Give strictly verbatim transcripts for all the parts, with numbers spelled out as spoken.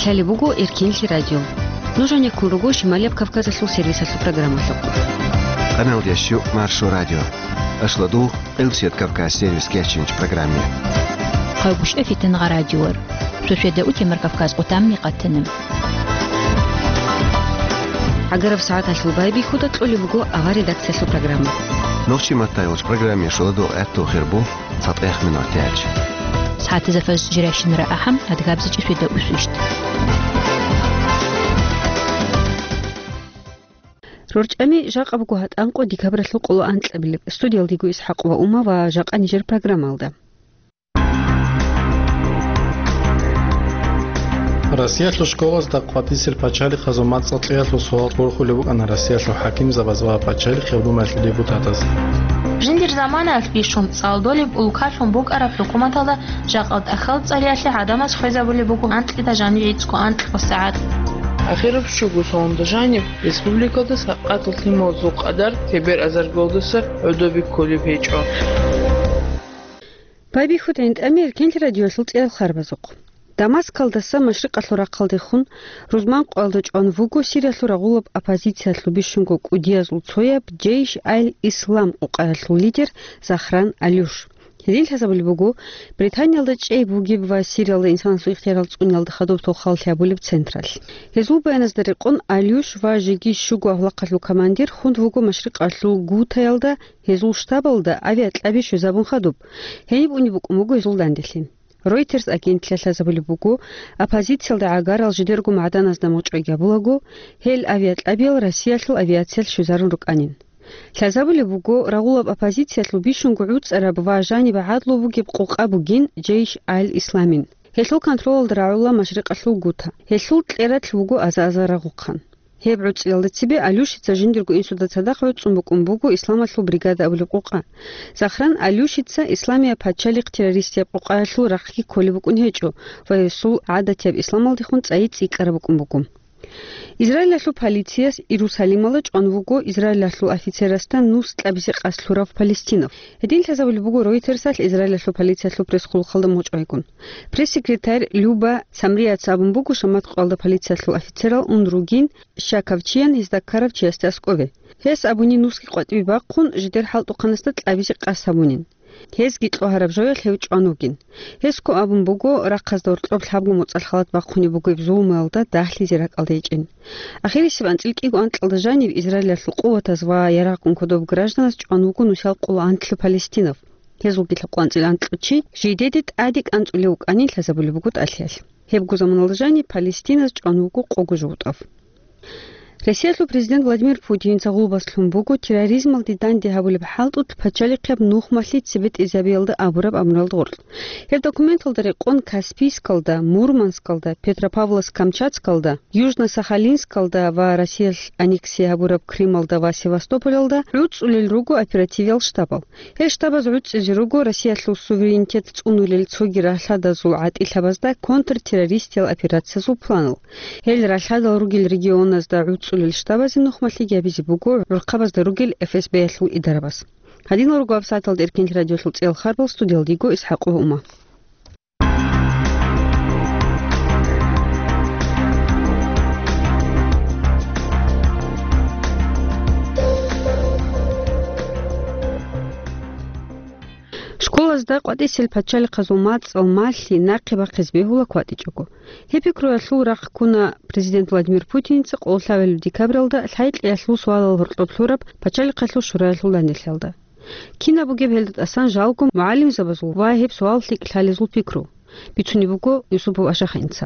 Лъалеб буго Эркенлъи радио. Нуж гьанеккун руго Шималияб Кавказалъул сервисалъул программалъухъ. Къаналдияс щу Маршо радио. Ашладул Къилбсият Кавказ сервис кечинч программе. Хъайбушев Фитангъа радиор. Суседа утемар Кавказ отамни къатана. ГӀагараб сагӀаталъул байбихьуда кьолеб буго авар редакциялъул программа. Нохчи маттайолч программе шуладул гӀатту хирбу. ЦатӀех минут тяч. СагӀатазда фаз жиращинара ахӀам, адгабзичӀи суда усвищт. РорчӀами жакъа буго гьатӀанкъо декабралъул къоло анкьабилеб. Студиялдего ИсхӀакъ ва Ума ва жакъа нижер программалда. Россиялъул школазда къватӀисел пачалихъазул мацӀал кьеялъул суал борхулеб букӀана Россиялъул хӀакимзабаз ва Пачалихъ Гьавдумаялъул депутатаз. Жиндир заманаялъ бищун цӀалдолеб улкалъун букӀараб хӀукуматалда жакъа тӀахьал цӀариялъе гӀадамаз хвезабулеб буго анкьида жанив гӀицӀго анкьго сагӀат. Ахираб щуго соналда жаниб республикалда сакъатал лъималазул къадар тебер азаргалдаса гӀодобе кколеб гьечӀо. Байбихьуда гӀинтӀами Эркенлъи радиоялъул цӀеял харбазухъ. Дамаскалдаса машрикъалъул рахъалдехун рузман къоялда чӀван вуго Сириялъул рагъулаб оппозициялъул бищунго кӀудиязул цояб Джейш аль-Ислам къукъаялъул лидер Захран Алюш. Гьедин лъазабулеб буго, Британиялда чӀей бугеб ва Сириялда инсанасул ихтиярал цӀуниялда хадуб толхал лъабулеб централъ. Гьезул баяназда рекъон, Алюш ва жеги щуго авлахъалъул командир хун вуго машрикъалъул Гутаялда гьезул штабалда авиакьаби щвезабун хадуб. Гьениб унеб букӀун буго гьезул данделъи. Reuters агентлъиялъ лъазабулеб буго, оппозициялда гӀагарал жидерго магӀданазда мочӀой гьабулаго, гьел авиакьабиял Россиялъул авиациялъ щвезарун рукӀанин. Лъазабулеб буго, рагъулаб оппозициялъул бищунго гӀуцӀараб ва жаниб гӀадлу бугеб къукъа бугин Джейш аль-Исламин. Гьелъул контролалда рагӀула машрикъалъул Гута. Гьелъул кьерадлъи вуго аза-азар рагъухъан. Гьеб гӀуцӀриялда цебе Алюшица жиндирго инсуда цадахъ гӀуцӀун букӀун буго Исламалъул бригада абулеб къукъа. Захран Алюшица Исламияб пачалихъ террористияб къукъаялъул рахъги кколеб букӀун гьечӀо ва гьесул гӀадатияб исламалдехун цӀайи цӀикӀкӀараб букӀун буго. Израилалъул полицияс Иерусалималда чӀван вуго Израилалъул офицерасда нус кьабизе къасд лъурав палестинав. Гьедин лъазабулеб буго Ройтерсалъ Израилалъул полициялъул пресс-хъулухъалда мочӀайгун. Пресс-секретарь Люба Самрияца абун буго, шамат къоялда полициялъул офицерал ун ругин щаковчиян гьезда ккарав чиясде аскӀове. Гьес абуни нусги къватӀибе бахъун, жидер хӀалтӀухъанасда кьабизе къасд гьабунин. Гьезги кьогьараб жоялъ гьев чӀван вугин. Гьесго абун буго, рахъазда гьоркьоб лъабго моцӀалъ халат бахъунеб бугеб зулмуялда дагьлъизе ракӀалда гьечӀин. Ахирисеб анцӀил кӀиго анкьалда жанив Израилалъул къуватаз ва ярагъгун кодоб гражданаз чӀван вуго нусал къоло анлъи палестинав. Гьезулги лъабкъоялда анцӀил анкьго чи жидеде тӀаде кӀанцӀулев вукӀанин лъазабулеб буго тӀалъиялъ. Гьебго заманалда жаниб палестиназ чӀван вуго къого жугьутӀав. Россиялъул президент Владимир Путинца гъулбас лъун буго терроризмалде данде гьабулеб хӀалтӀулъ пачалихъияб нухмалъи цебетӀезабиялда абураб амруялда гъоркь. Гьеб документалда рекъон Каспийскалда, Мурманскалда, Петропавловск-Камчатскалда, Южно-Сахалинскалда ва Россиялъ аннексия гьабураб Крымалда ва Севастополалда гӀуцӀулел руго оперативиял штабал. Гьел штабаз гӀуцӀизе руго Россиялъул суверенитет цӀунулел цоги ралъадазул гӀатӀилъабазда контртеррористиял операциязул планал. Гьел ралъадал ругел регионазда гӀуцӀулел штабазе нухмалъиги гьабизе буго гӀурхъабазда ругел Эф Эс Б-ялъул идарабаз. Гьадинал руго гьабсагӀаталда Эркенлъи радиоялъул цӀеял харбал, студиялда йиго ИсхӀакъ ва Ума. Школазда къватӀисел пачалихъазул мацӀал малъи нахъе бахъизе бегьула кватӀичӀого. Гьеб пикруялъул рахъ ккуна президент Владимир Путинца къоло лъабабилеб декабралда лъай-кьеялъул суалал гьоркьоб лъураб пачалихъалъул шураялъул данделъиялда. Кинаб бугеб гьелда тӀасан жалго мугӀалимзабазул ва гьеб суал лъикӀ лъалезул пикру? Бицунеб буго Юсупов Ашахинца.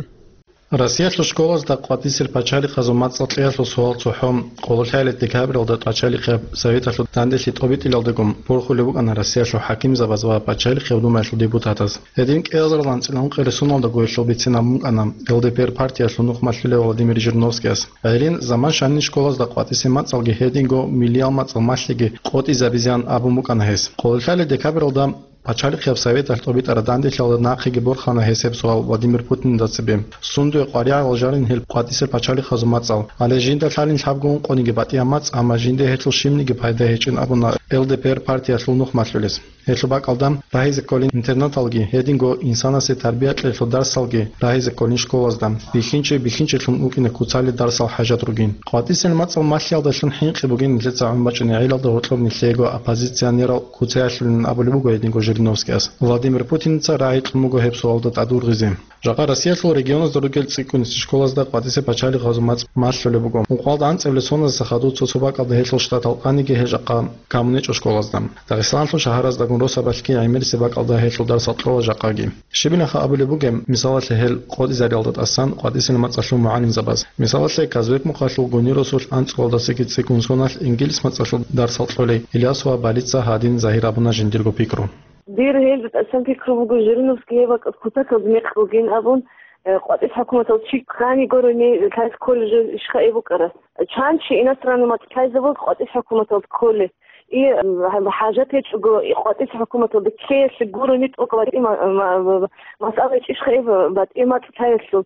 Россиялъул школазда къватӀисел пачалихъазул мацӀал кьеялъул суал цохӀо къоло лъабабилеб декабралда пачалихъияб советалъул данделъи тӀобитӀилалдагун борхулеб букӀана Россиялъул хӀакимзабаз ва Пачалихъ Гьавдумаялъул депутатаз. Гьедин кӀиазарилан цӀинан ункъоялда соналда гурелъул бициналда букӀана Л Д П Р партиялъул нухмалъулев Владимир Жириновскияс. Гьедин заман щайин школазда къватӀисел мацӀалги гьединго миллиял мацӀал малъиги къотӀизабизеян абун букӀана гьес. Къоло лъабабилеб декабралда Пачалихъияб советалъ тӀобитӀараб данделъиялда нахъеги борхана гьес гьеб суал Владимир Путинда цебе. Сундуе къваригӀарал жанин гьел къватӀисел пачалихъазул мацӀал. Гьале жинда лъалин лъабго ункъониги батӀияб мацӀ, амма жинда гьелъул щибниги пайда гьечӀин абуна Л Д П Р партиялъул нухмалъулес. Гьелъул бакӀалда рагьизе кколин интернаталги, гьединго инсанасе тарбия кьелъул дарсалги рагьизе кколин школазда, бихьинчи бихьинчилъун вукӀине куцалел дарсал хӀажат ругин. КъватӀисел мацӀал малъиялдалъун хӀинкъи бугин нилъеца гӀун бачӀунеб гӀелалда гьоркьоб нилъего оппозиционерал куцаялъулин абулеб буго гьединго Жириновскияс. Владимир Путинца рагӀи кьун буго гьеб суалда тӀадвургъизе. Жакъа Россиялъул регионазда ругел цӀикӀкӀунисел школазда къватӀисе пачалихъазул мацӀ малъулеб буго. Ункъоялда анцӀабилеб соналдаса хадув цо-цо бакӀалда гьелъул штатал къаниги гьел жакъа камунечӀо школазда. Дагъистаналъул шагьараздагун росабалъги гӀемерисеб бакӀалда гьелъул дарсал кьола жакъаги. Щибилаха абулеб бугеб, мисалалъе, гьел къотӀизариялда тӀасан къватӀисел мацӀалъул мугӀалимзабаз. Мисалалъе, Казбек-Мухъалъул Гунир росулъ анцӀгоялдасаги цӀикӀкӀун соналъ ингилис мацӀалъул дарсал кьолей Ильясова Балица гьадин загьир абуна жиндирго пикру. Дир гьелда тӀасан пикру буго, Жириновский гьеб бакӀалъ кутакалда мекъ бугин абун, э, къватӀис хӀукуматал чи ккани гурони лъайс кколел жо ишха эб букӀара. Чан чи иностранный мацӀ лъайзе буго къватӀис хӀукуматалда кколе. И, м, хӀа-, хӀажат гьечӀого, и къватӀис хӀукуматалда ккеялъе гурони тӀокӀ батӀи ма-, ма-, ма-, масъала гьечӀищха эб батӀи мацӀ лъаялъул.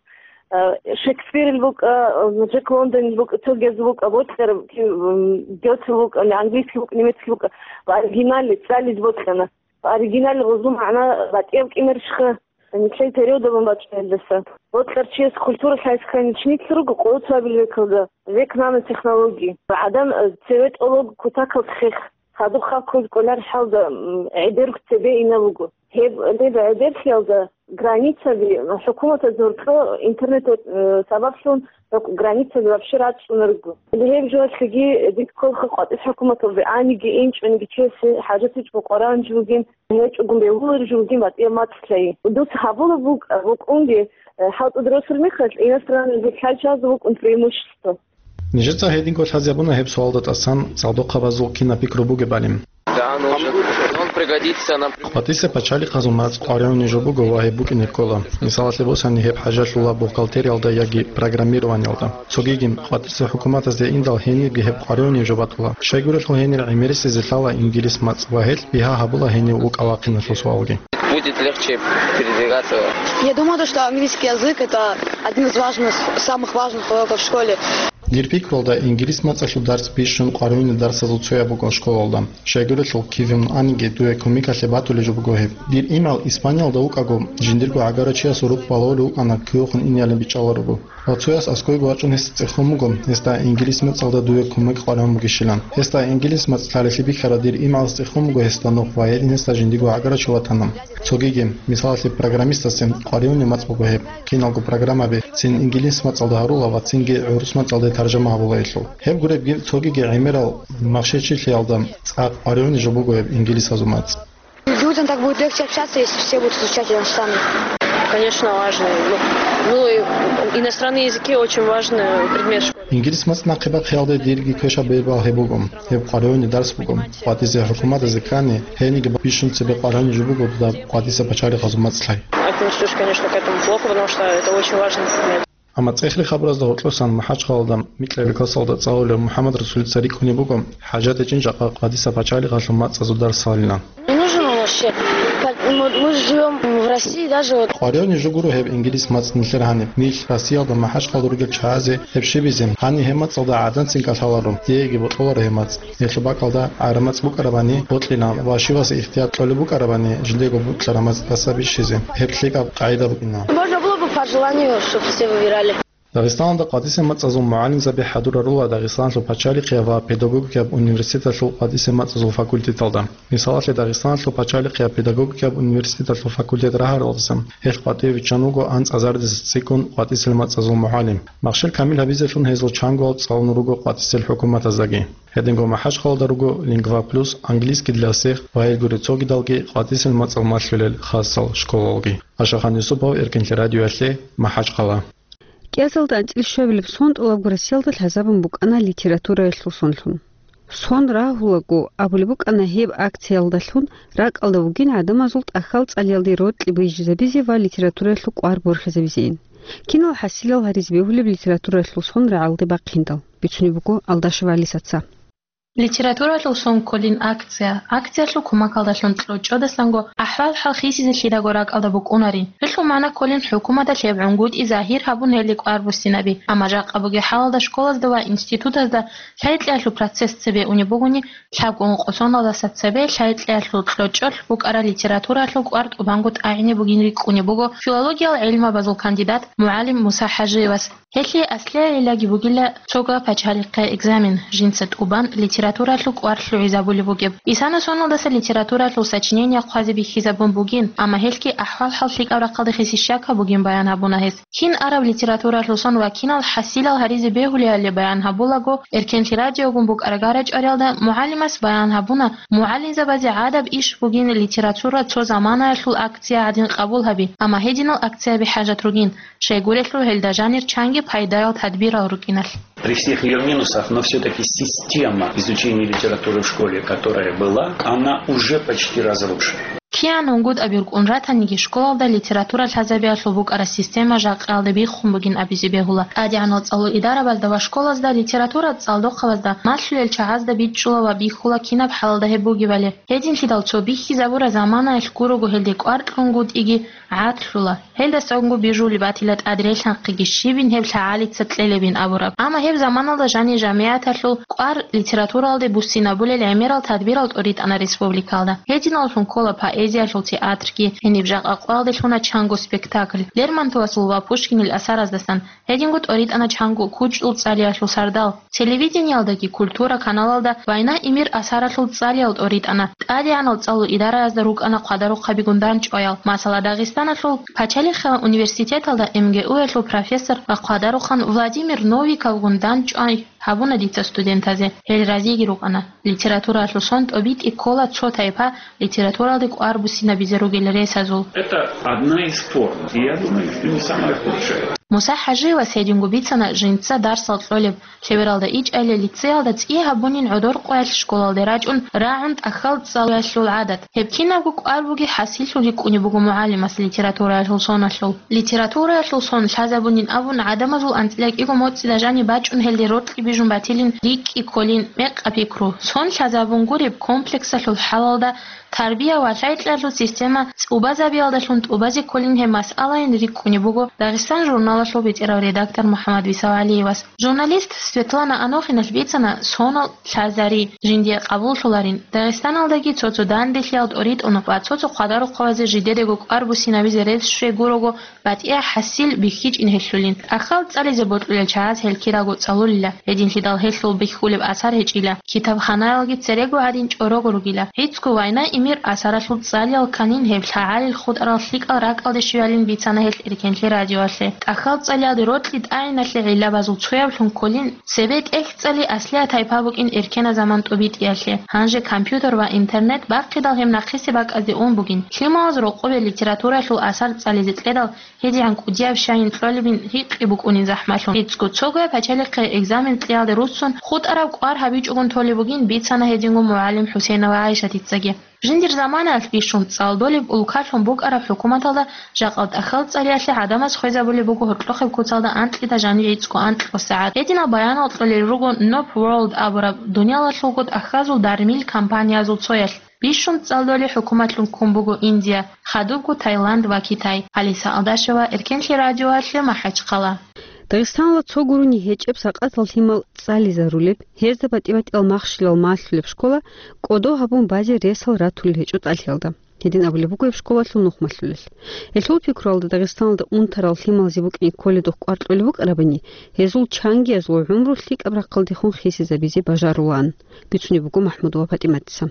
Э, Шекспирил букӀа, э, Джек Лондонил букӀа, цогияз букӀа, бокьараб, ки, м, Гёте букӀа, английский букӀа, немецкий букӀа, ва оригиналли цӀализе бокьана. Оригиналли гъозул магӀна батӀияб кӀимерищха, нилъее перевод гьабун бачӀун гьелдаса. Бокьарчияс культура лъайскани чиница руго къоло цоабил векалда, век нанотехнологии. ГӀадан, э, цеве тӀолого кутакалда хех, хадуб халкъ кколареб хӀалда, м, гӀедерго цебе ина буго. Гьеб, гьеб гӀедерлъиялда границаби, хӀукуматаз гьоркьо интернет, э, сабаблъун гьеб границаби вообще рацӀцӀунарго. Гьеб жоялъеги дир кколха къватӀис хӀукуматалде аниги, инчӀониги чиясе хӀажат гьечӀого къваригӀун жо бугин, гьечӀогун бегьулареб жо бугин батӀияб мацӀ лъай. Дуца гьабулеб букӀа-, букӀунги, э, хӀалтӀуда росулеб мехалъ, иностранный лъай чиясда букӀун преимущество. Нижеца гьединго лъазе гьабуна гьеб суалда тӀасан цӀалдохъабазул кинаб пикру бугебали. Да, он уже, он пригодится нам. КъватӀисе пачалихъазул мацӀ къваригӀуней жо буго ва гьеб букӀине ккола. Мисалалъе босани, гьеб хӀажалъула бухгалтериялда яги программированиялда. Цогиги, къватӀисе хӀукуматазде индал гьенибги гьеб къваригӀуней жо батула. Щайгурелъул гьенир гӀемерисезе лъала ингилис мацӀ ва гьелъ бигьа гьабула гьенив вукӀа-вахъиналъул суалги. Будет легче передвигаться. Я думаю, то, что английский язык — это один из важных, самых важных уроков в школе. Дир пикрулда, ингилис мацӀалъул дарс бищун къваригӀунел дарсазул цояб буго школалда. Щайгурелъул кивин аниги дуе кумекалъе батулеб жо буго гьеб. Дир имгӀал Испаниялда вукӀаго, жиндирго гӀагарав чиясул рукъ балагьулев вукӀана кивехун инеялин бичӀчӀаларо. Ва цояс аскӀовеги вачӀун гьесда цӀехун буго, гьесда ингилис мацӀалда дуе кумек къваригӀун бугищилан. Гьесда ингилис мацӀ лъалелъи бихьарав дир имгӀалас цӀехун буго гьесда нух ва гьедин гьесда жиндирго гӀагарав чи ватана. Цогиги, мисалалъе, программистасе къваригӀунеб мацӀ буго гьеб. Киналго программаби цин ингилис мацӀалда гьарула ва цинги гӀурус мацӀалде таржама гьабула гьелъул. Гьеб гуребги, цогиги гӀемерал махщел-чилъиялда цӀакъ къваригӀуней жо буго гьеб ингилисазул мацӀ. Людям так будет легче общаться, если все будут изучать иностранный. Конечно, важно. Ну, ну, и иностранные языки очень важный предмет в школе. Ингилис мацӀ нахъебахъиялде дирги квешаб бебал гьеб буго. Гьеб къваригӀуней дарс буго. КъватӀизе хӀукуматазе ккани, гьениги бищун цебе къваригӀуней жо буго дуда къватӀисе пачалихъазул мацӀ лъай. Отношусь, конечно, к этому плохо, потому что это очень важный предмет. Амма цӀехли хабаразда гьоркьосан МахӀачхъалалда микьабилеб классалда цӀалулев МухӀаммад Расулица рикӀкӀунеб буго, хӀажат гьечӀин жакъа къватӀиса пачалихъалъул мацӀазул дарс лъалилан. Не нужен он вообще. Как мы, мы живём в России, даже вот. КъваригӀуней жо гуро гьеб ингилис мацӀ нилъер гьаниб. Нилъ Россиялда МахӀачхъалда ругел чагӀазе гьеб щибизе, гьаниб гьеб мацӀалда гӀаданцин кӀалъаларо, диеги бокьуларо гьеб мацӀ. Гьелъул бакӀалда гӀараб мацӀ букӀарабани бокьилан ва щивасе ихтияр кьолеб букӀарабани жидего бокьараб мацӀдаса бищизе. Гьеб лъикӀаб къагӀида букӀина. Можно было бы по желанию, чтоб все выбирали. Дагъистаналда къватӀисе мацӀазул мугӀалимзаби хӀадурарула Дагъистаналъул пачалихъияб ва педагогикаб университеталъул къватӀисе мацӀазул факультеталда. Мисалалъе, Дагъистаналъул пачалихъияб педагогикаб университеталъул факультет рагьаралдаса гьелъ къватӀиве виччан вуго анцӀазаридаса цӀикӀкӀун къватӀисел мацӀазул мугӀалим. Махщел камил гьабизелъун гьезул чангоял цӀалун руго къватӀисел хӀукуматаздаги. Гьединго МахӀачхъалада руго «Лингва Плюс», «Английский для всех» ва гьел гуреб цогидалги къватӀисел мацӀал малъулел хасал школалги. Ашахан Юсупов, Эркинлъи радиоялъе, МахӀачхъала. КӀиазалда анцӀила щуабилеб сон тӀолабго Россиялда лъазабун букӀана литератураялъул сонлъун. Сон рагьулаго абулеб букӀана гьеб акциялдалъун ракӀалда вугин гӀадамазул тӀахьал цӀалиялде рокьи бижизабизе ва литератураялъул кӀвар борхизабизейин. Кинал хӀасилал гьаризе бегьулеб литератураялъул сон рагӀалде бахъиндал, бицунеб буго Алдашев Алисаца. Литературалъул сон кколин акция. Акциялъул кумакалдалъун кьучӀодасанго ахӀвал-хӀал хисизе лъидаго ракӀалда букӀунарин. Гьелъул магӀна кколин хӀукуматалъ гьеб гӀунгутӀи загьир гьабун гьелде кӀвар буссинаби. Амма жакъа бугеб хӀалалда школазда ва институтазда лъай-кьеялъул процесс цебе унеб бугони, лъабго ункъо соналдаса цебе лъай-кьеялъул кьучӀолъ букӀараб литературалъул кӀвар тӀубанго тӀагӀине бугин рикӀкӀунеб буго филологиял гӀилмабазул кандидат, мугӀалим Муса ХӀажиевас. Гьелъие аслияб гӀиллаги бугила цого пачалихъе экзамен, жинца тӀубан литературалъул кӀвар лъугӀизабулеб бугеб. Исана соналдаса литературалъул сочинение хъвазе бихьизабун бугин, амма гьелъги ахӀвал-хӀал лъикӀаб рахъалде хиси щака бугин баян гьабуна гьес. Кин араб литературалъул сон ва кинал хӀасилал гьаризе бегьулебали баян гьабулаго, Эркенлъи радиогун букӀарагара чӀвариялда мугӀалимас баян гьабуна, мугӀалимзабазе гӀадаб иш бугин литература цо заманаялъул акция гӀадин къабул гьаби, амма гьединал акцияби хӀажат ругин. Щайгурелъул гьелда жанир чанги пайдаял тадбирал рукӀиналъ. При всех её минусах, но всё-таки система изучения литературы в школе, которая была, она уже почти разрушена. Киян унгутӀаби рукӀун ратаниги, школалда литература лъазабиялъул букӀараб система жакъаялда биххун бугин абизе бегьула. ТӀадегӀанал цӀалул идарабазда ва школазда литература цӀалдохъабазда малъулел чагӀазда бичӀчӀула ва бихьула кинаб хӀалалда гьеб бугебали. Гьединлъидал цо бихьизабураб заманаялъ гурого гьелде кӀвар кьунгутӀиги гӀадлъула. Гьелдасанго бижулеб батила тӀадрелъанхъиги щибин гьеб лъагӀалица кьелебин абураб. Амма гьеб заманалда жанир жамигӀаталъул кӀвар литературалде буссинабулел гӀемерал тадбирал тӀоритӀана республикалда. Гьединаллъун ккола поэзиялъул театрги, гьениб жакъа къоялде лъуна чанго спектакль, Лермонтовасул ва Пушкинил асараздасан, гьединго тӀоритӀана чанго кучӀдул цӀалиялъул сардал. Телевидениялдаги «Культура» каналалда «Война и мир» асаралъул цӀалиял тӀоритӀана, тӀадегӀанал цӀалул идараязда рукӀана хъвадарухъабигун дандчӀваял. Масала, Дагъистаналъул пачалихъ университеталда МГУ-ялъул профессор ва хъвадарухъан Владимир Новиковгун дандчӀвай гьабуна дица студентазе. Гьел разиги рукӀана. Литературалъул сон тӀобитӀи ккола цо тайпа литературалде кӀвар буссинабизе ругел ресазул. Это одна из форм. И я думаю, что не самая худшая. Муса ХӀажиевас гьединго бицана жинца дарсал кьолеб, лъебералда ичӀайиле лицеялда цӀи гьабунин гӀодор къоялъ школалде рачӀун рагӀун тӀахьал цӀалулъул гӀадат. Гьеб кинабго кӀвар бугеб хӀасиллъун рикӀкӀунеб буго мугӀалимас литератураялъул соналъул. Литератураялъул сон лъазабунин абун, гӀадамазул анцӀила кӀиго моцӀида жаниб бачӀун гьелде рокьи бижун батилин рикӀкӀи кколин мекъа-пикру. Сон лъазабун гуреб комплексалъул хӀалалда тарбия ва лъай-кьеялъул система цӀубазабиялдалъун тӀубазе кколин гьеб масъалайин рикӀкӀунеб буго «Дагъистан» журналалъул бетӀерав редактор МухӀаммад Висав ГӀалиевас. Журналист Светлана Анохиналъ бицана сонал лъазари жиндие къабуллъуларин, Дагъистаналдаги цо-цо данделъиял тӀоритӀун ва цо-цо хъвадарухъабазе жидедаго кӀвар буссинабизе рес щвей гурого батӀияб хӀасил бихьичӀин гьелъулин. ТӀахьал цӀализе бокьулел чагӀаз гьел кираго цӀалулила, гьединлъидал гьелъул бихьулеб асар гьечӀила. Китабханаялги церего гьадин чӀорого ругила. ГӀицӀго «Война и мир» асаралъул цӀалиял кканин гьеб лъагӀалил хутӀарал лъикӀал ракӀалде щвеялин бицана гьел Эркенлъи радиоялъе. ТӀахьал цӀалиялде рокьи тӀагӀиналъе гӀиллабазул цояблъун кколин, цебе тӀехь цӀали аслияб тайпа букӀин эркенаб заман тӀобитӀиялъе. Гьанже компьютер ва интернет бахъидал гьеб нахъисеб бакӀазде ун бугин. Лъималаз рокъобе литературалъул асар цӀализе кьедал, гьедигӀан кӀудияб щайин кьолебин гьикъи букӀунин захӀмалъун. ГӀицӀго цогояб пачалихъе экзамен кьеялде руссун хутӀараб кӀвар гьабичӀогун толеб бугин бицана гьединго мугӀалим ХӀусейнова ГӀайшатицаги. Жиндир заманаялъ бищун цӀалдолеб улкалъун букӀараб хӀукуматалда жакъа тӀахьал цӀалиялъе гӀадамаз хвезабулеб буго гьоркьохъеб куцалда анкьида жанив гӀицӀго анкьго сагӀат. Гьединал баянал кьолел руго Nob World абураб дуниялалъулго тӀахьазул дармил компаниязул цоялъ. Бищун цӀалдолеб хӀукуматлъун ккун буго Индия, хадубго Таиланд ва Китай. Алиса Алдашева, Эркенлъи радиоялъе, МахӀачхъала. Дагъистаналда цо гурони гьечӀеб сакъатал лъимал цӀализарулеб, гьезда батӀи-батӀиял махщелал малъулеб школа кӀодо гьабун базе ресал ратулел гьечӀо тӀалъиялда. Гьедин абулеб буго гьеб школалъул нухмалъулел. Гьелъул пикруялда Дагъистаналда унтарал лъималазе букӀине кколедухъ кӀвар кьолеб букӀарабани, гьезул чангиязул гӀумру лъикӀаб рахъалдехун хисизабизе бажарулаан, бицунеб буго МахӀмудова ПатӀиматица.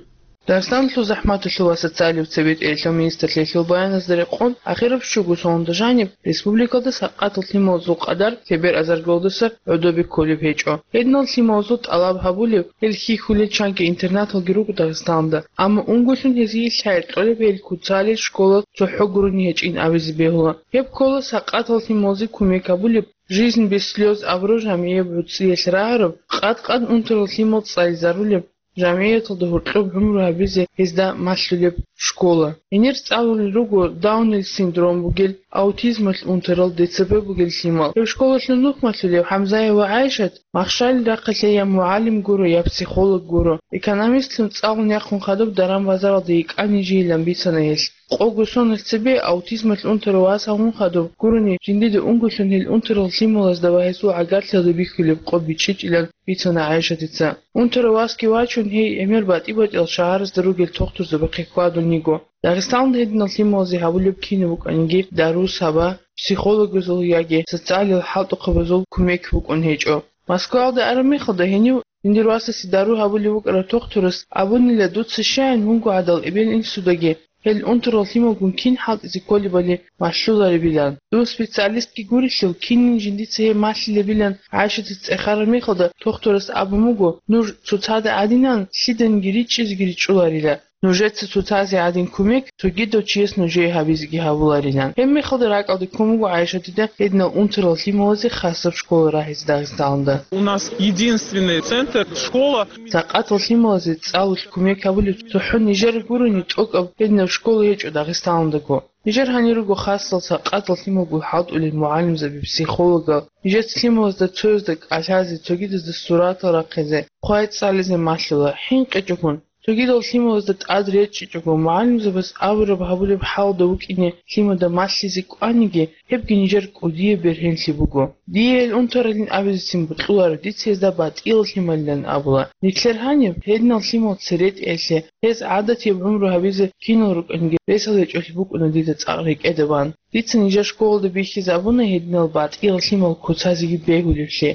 Дагъистаналъул захӀматалъул ва социалияб цебетӀералъул министрлъиялъул баяназда рекъон, ахираб щуго соналда жаниб республикалда сакъатал лъималазул къадар лъебераб азаргалдаса гӀодобе кколеб гьечӀо. Гьединал лъималазул тӀалаб гьабулеб, гьел хьихьулел чанги интернаталги руго Дагъистаналда, амма унголъун гьезие лъай кьолеб гьел куцалел школа цохӀо гурони гьечӀин абизе бегьула. Гьеб ккола сакъатал лъималазе кумек гьабулеб, «Жизнь без слёз» абураб жамигӀияб гӀуцӀиялъ рагӀараб, къад-къад унтарал лъимал цӀализарулеб, жамгӀияталда гьоркьоб гӀумру гьабизе гьезда малъулеб школа. Гьенир цӀалулел руго Даунил синдром бугел, аутизмалъ унтарал, Д Ц Б бугел лъимал. Гьеб школалъул нух малъулев ХӀамзаева ГӀайшат махщалил рахъалъе я мугӀалим гуро, я психолог гуро. Экономистлъун цӀалун яхъун хадуб даран-базаралда йикӀанин жийилан бицана гьелъ. Къого соналъ цебе аутизмалъ унтарав вас гьавун хадуб гурони, жиндида унго лъун гьел унтарал лъималазда ва гьесул гӀагарлъиялда бихьулеб къо бичӀчӀичӀилан бицана ГӀайшатица. Унтарав васги вачун, гьей гӀемер батӀи-батӀиял шагьаразда ругел тухтурзабахъе хьвадун йиго. Дагъистаналда гьединал лъималазе гьабулеб кинаб букӀаниги, дару-саба, психологазул яги социалил хӀалтӀухъабазул кумек букӀун гьечӀо. Москваялда араб мехалда гьенив жиндир васасе дару гьабулев вукӀарав тухтурас абунила: «Дуца щайин, мунго гӀадал эбел-инсудаги гьел унтарал лъималгун кин хӀалтӀизе кколебали малъуларебилан. Дун специалистги гурелъул, кинин жиндица гьеб малъилебилан». ГӀайшатица цӀехараб мехалда тухтурас абун буго: «Нуж цоцазда гӀадинан лъиданиги ричӀчӀизеги ричӀчӀуларила. Нужеца цоцазе гӀадин кумек цогидав чияс нужее гьабизеги гьабуларилан». Гьеб мехалда ракӀалде ккун буго ГӀайшатида гьединал унтарал лъималазе хасаб школа рагьизе Дагъистаналда. У нас единственный центр, школа. Сакъатал лъималазе цӀалулъ кумек гьабулеб цохӀо нижер гурони тӀокӀаб гьединаб школа гьечӀо Дагъистаналдаго. Нижер гьанир руго хасал сакъатал лъималгун хӀалтӀулел мугӀалимзаби, психологал. Нижеца лъималазда цоязда кӀалъазе, цогидазда суратал рахъизе, хъвай цӀализе малъула, хӀинкъичӀогун. Цогидал лъималазда тӀад речӀчӀичӀого, мугӀалимзабаз абураб гьабулеб хӀалда вукӀине лъимада малъизе кӀваниги, гьебги нижер кӀудияб бергьенлъи буго. Дие гьел унтаралин абизецин бокьуларо, дица гьезда батӀиял лъималилан абула. Нилъер гьаниб гьединал лъимал церетӀеялъе, гьез гӀадатияб гӀумру гьабизе кинал рукӀаниги ресал гьечӀолъи букӀуна дида цӀакъ рекӀеда бан. Дица нижер школалда бихьизабуна гьединал батӀиял лъимал куцазеги бегьулеблъи.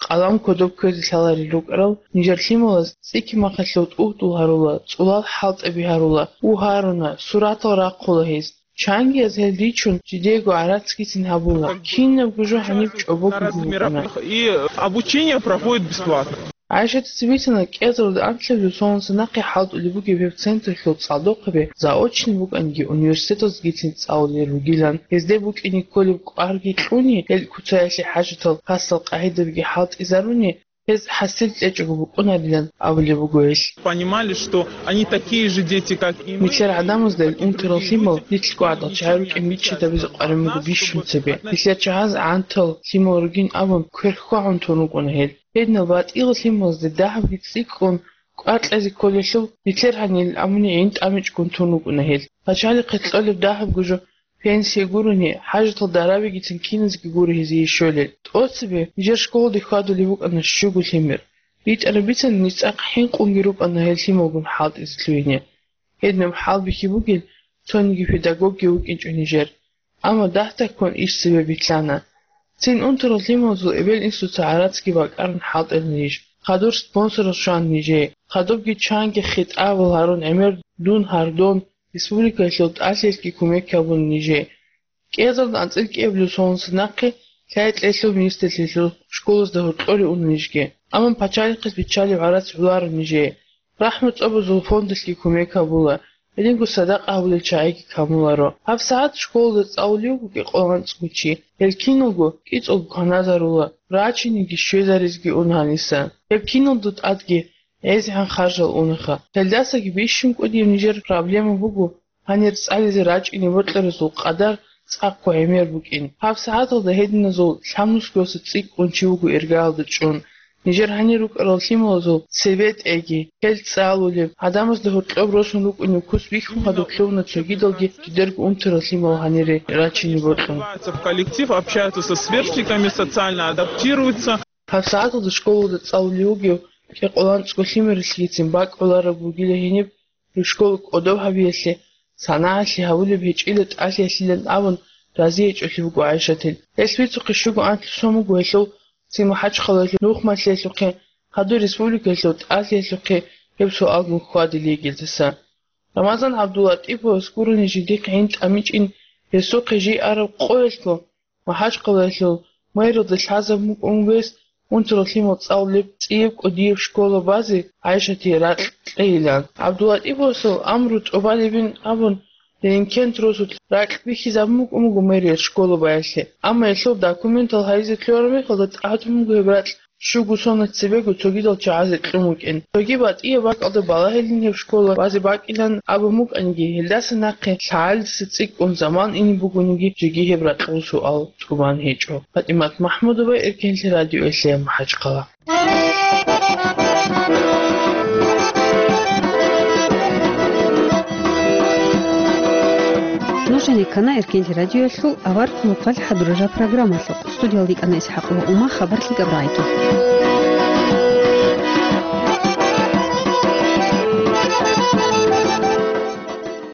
Къалам кодоб кквезе лъаларел рукӀарал нижер лъималаз цӀикӀкӀи махъалъув тӀугьдул гьарула, цӀулал хӀалтӀаби гьарула, у гьаруна, суратал рахъула гьез. Чангияз гьел ричун, жидеего гӀарацгицин гьабула. Кинабго жо гьаниб чӀобого гьукъана. И обучение проходит бесплатно. ГӀайшатица бицана, кӀиазарулда анлъабилеб соналъ нахъе хӀалтӀулеб бугеб гьеб централъул цӀалдохъаби заочный букӀаниги, университеталзгицин цӀалулел ругилан, гьезде букӀине кколеб кӀварги кьуни, гьел куцаялъе хӀажатал хасал къагӀидабиги хӀалтӀизаруни, гьез хӀасил кьечӀого букӀунарилан абулеб буго гьелъ. Понимали, что они такие же дети, как и мы. Нилъер гӀадамазда гьел унтарал лъимал нилъго гӀадал чагӀи рукӀин бичӀчӀизабизе къварин буго бищун цебе. Нилъер чагӀаз гӀантал лъимал ругин абун кверхьвагӀун тун рукӀуна гьел. Гьединал батӀиял лъималазде дагьабги цӀикӀкӀун кӀвар кьезе кколелъул, нилъер гьанир амуни гӀин тӀамичӀгун тун рукӀуна гьел. Пачалихъе кьолеб дагьабго жо пенсия гурони, хӀажатал дарабигицин киназеги гуро гьезие щолел. ТӀоцебе нижер школалде хьвадулеб букӀана щуго лъимер. БитӀараб бицана, ниж цӀакъ хӀинкъунги рукӀана гьел лъималгун хӀалтӀизе лъугьине. Гьединаб хӀалбихьи бугел цониги педагогги вукӀинчӀо нижер. Амма дагь-дагьккун иш цебе битӀана. Цин унтарал лъималазул эбел-инсуца гӀарацги бакӀарун хӀалтӀила ниж. Хадур спонсорал щван нижее. Хадубги чанги хитӀабал гьарун гӀемер дун гьардон, республикаялъул тӀалъиялъги кумек гьабун нижее. КӀиазарулда анцӀила кӀиабилеб соналъ нахъе лъай-кьеялъул министрлъиялъул школазда гьоркьоре уна нижги. Амма пачалихъас биччалеб гӀарац гӀоларо нижее. РахӀму цӀобазул фондалъги кумек гьабула, гьединго садакъа гьабулел чагӀиги камуларо. ГьабсагӀат школалда цӀалулев вуго кӀикъоялда анцӀго чи. Гьел киналго кӀицӀулго кваназарула, рачиниги щвезаризеги уна гьаниса. Гьеб киналго тӀадги гӀезегӀан харжал унаха. Гьелдасаги бищун кӀудияб нижер проблема буго гьанир цӀализе рачӀине бокьаразул къадар цӀакъго гӀемер букӀин. ГьабсагӀаталда гьединазул лъабнусгоялъа цӀикӀкӀун чи вуго иргаялда чӀун. Нижер гьанир рукӀарал лъималазул цебетӀеги, гьел цӀалулеб, гӀадамазда гьоркьоб росун рукӀунеб кус бихьун хадуб лъугьуна цогидалги жидерго унтарал лъимал гьанире рачине бокьун. В коллектив, общаются со сверстниками, социально адаптируются. ГьабсагӀаталда школалда цӀалулев вугев кӀикъоялда анцӀго лъимералъгицин бакӀ гӀолареб бугила гьениб, школа кӀодоб гьабиялъе, санагӀалъе гьабулеб гьечӀила тӀалъиялъилан абун разиячӀолъи буго ГӀайшатил. Гьелъ бицухъе щуго анлъго сон буго гьелъул цин МахӀачхъалаялъул нух малъиялъухъе, хадур республикаялъул тӀалъиялъухъе гьеб суалгун хьвадилей гьелдаса. Рамазан ГӀабдуллатӀиповас гурони жиндихъ гӀин тӀамичӀин гьесухъе жий араб къоялъго МахӀачхъалаялъул мэрилда лъазабун букӀун вес унтарал лъимал цӀалулеб цӀияб кӀудияб школа базе ГӀайшатие ракь кьейилан. ГӀабдуллатӀиповасул амру тӀубалебин абун, Деринкент росулъ ракь бихьизабун букӀун буго мэрияс школа баялъе. Амма гьелъул документал гьаризе кколеб мехалда тӀадун буго гьеб ракь Щуго соналъ цебего цогидал чагӀазе кьун вукӀин. Цоги батӀияб бакӀалда балагьилин гьеб школа вазе бакӀилан абун букӀаниги, гьелдаса нахъе лъагӀалиса цӀикӀкӀун заман ине бугониги, жеги гьеб ракьул суал тӀубан гьечӀо. ПатӀимат МахӀмудова, Эркенлъи радиоялъе, МахӀачхъала. Нуж гьенеккана Эркенлъи радиоялъул авар хъулухъалъ хӀадурараб программалъухъ. Студиялда йикӀана ИсхӀакъова Ума, хабар лъикӀаб рагӀиги.